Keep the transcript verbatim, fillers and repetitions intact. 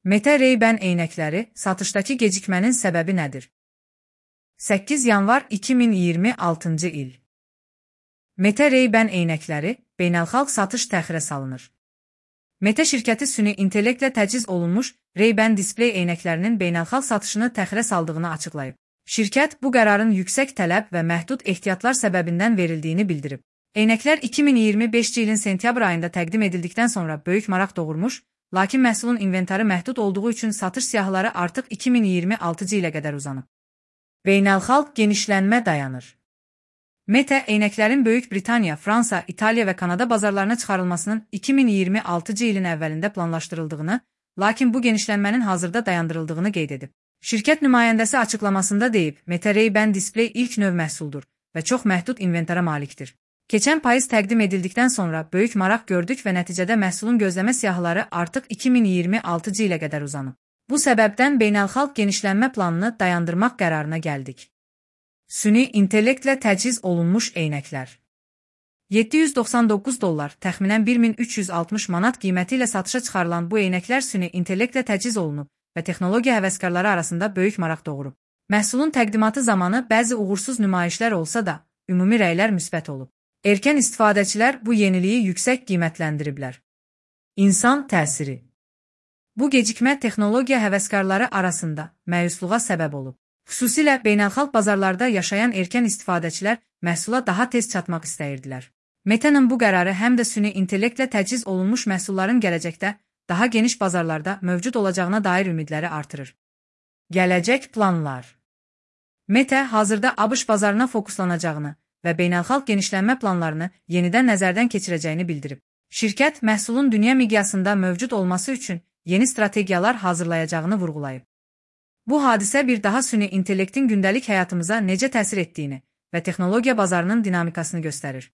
Meta Ray-Ban eynəkləri satışdakı gecikmənin səbəbi nədir? səkkiz yanvar iki min iyirmi altıncı il. Meta Ray-Ban eynəkləri beynəlxalq satış təxirə salınır. Meta şirkəti süni intellektlə təchiz olunmuş Ray-Ban displey eynəklərinin beynəlxalq satışını təxirə saldığını açıqlayıb. Şirkət bu qərarın yüksək tələb və məhdud ehtiyatlar səbəbindən verildiyini bildirib. Eynəklər iki min iyirmi beşinci ilin sentyabr ayında təqdim edildikdən sonra böyük maraq doğurmuş, lakin məhsulun inventarı məhdud olduğu üçün satış siyahıları artıq iki min iyirmi altıncı ilə qədər uzanıb. Beynəlxalq genişlənmə dayanır. Meta, eynəklərin Böyük Britaniya, Fransa, İtaliya və Kanada bazarlarına çıxarılmasının iki min iyirmi altıncı ilin əvvəlində planlaşdırıldığını, lakin bu genişlənmənin hazırda dayandırıldığını qeyd edib. Şirkət nümayəndəsi açıqlamasında deyib, Meta Ray-Ban displey ilk növ məhsuldur və çox məhdud inventara malikdir. Keçən payız təqdim edildikdən sonra böyük maraq gördük və nəticədə məhsulun gözləmə siyahıları artıq iki min iyirmi altıncı ilə qədər uzanıb. Bu səbəbdən beynəlxalq genişlənmə planını dayandırmaq qərarına gəldik. Süni intellektlə təchiz olunmuş eynəklər. yeddi yüz doxsan doqquz dollar, təxminən bir min üç yüz altmış manat qiyməti ilə satışa çıxarılan bu eynəklər süni intellektlə təchiz olunub və texnologiya həvəskarları arasında böyük maraq doğurub. Məhsulun təqdimatı zamanı bəzi uğursuz nümayişlər olsa da, ümumi rəylər müsbət olub. Erkən istifadəçilər bu yeniliyi yüksək qiymətləndiriblər. İnsan təsiri. Bu gecikmə texnologiya həvəskarları arasında məyusluğa səbəb olub. Xüsusilə beynəlxalq bazarlarda yaşayan erkən istifadəçilər məhsula daha tez çatmaq istəyirdilər. Meta'nın bu qərarı həm də süni intellektlə təchiz olunmuş məhsulların gələcəkdə daha geniş bazarlarda mövcud olacağına dair ümidləri artırır. Gələcək planlar. Meta hazırda ABŞ bazarına fokuslanacağını və beynəlxalq genişlənmə planlarını yenidən nəzərdən keçirəcəyini bildirib. Şirkət məhsulun dünya miqyasında mövcud olması üçün yeni strategiyalar hazırlayacağını vurğulayıb. Bu hadisə bir daha süni intellektin gündəlik həyatımıza necə təsir etdiyini və texnologiya bazarının dinamikasını göstərir.